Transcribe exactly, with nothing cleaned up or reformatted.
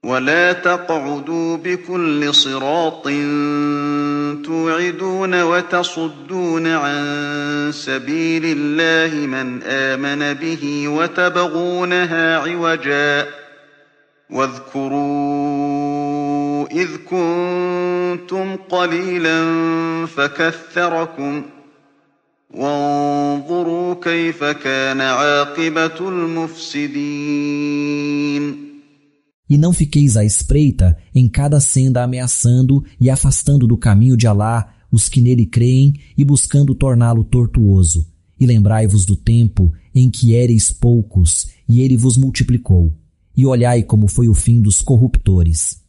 ولا تقعدوا بكل صراط توعدون وتصدون عن سبيل الله من آمن به وتبغونها عوجا واذكروا إذ كنتم قليلا فكثركم وانظروا كيف كان عاقبة المفسدين. E não fiqueis à espreita em cada senda ameaçando e afastando do caminho de Alá os que nele creem e buscando torná-lo tortuoso. E lembrai-vos do tempo em que éreis poucos e ele vos multiplicou. E olhai como foi o fim dos corruptores.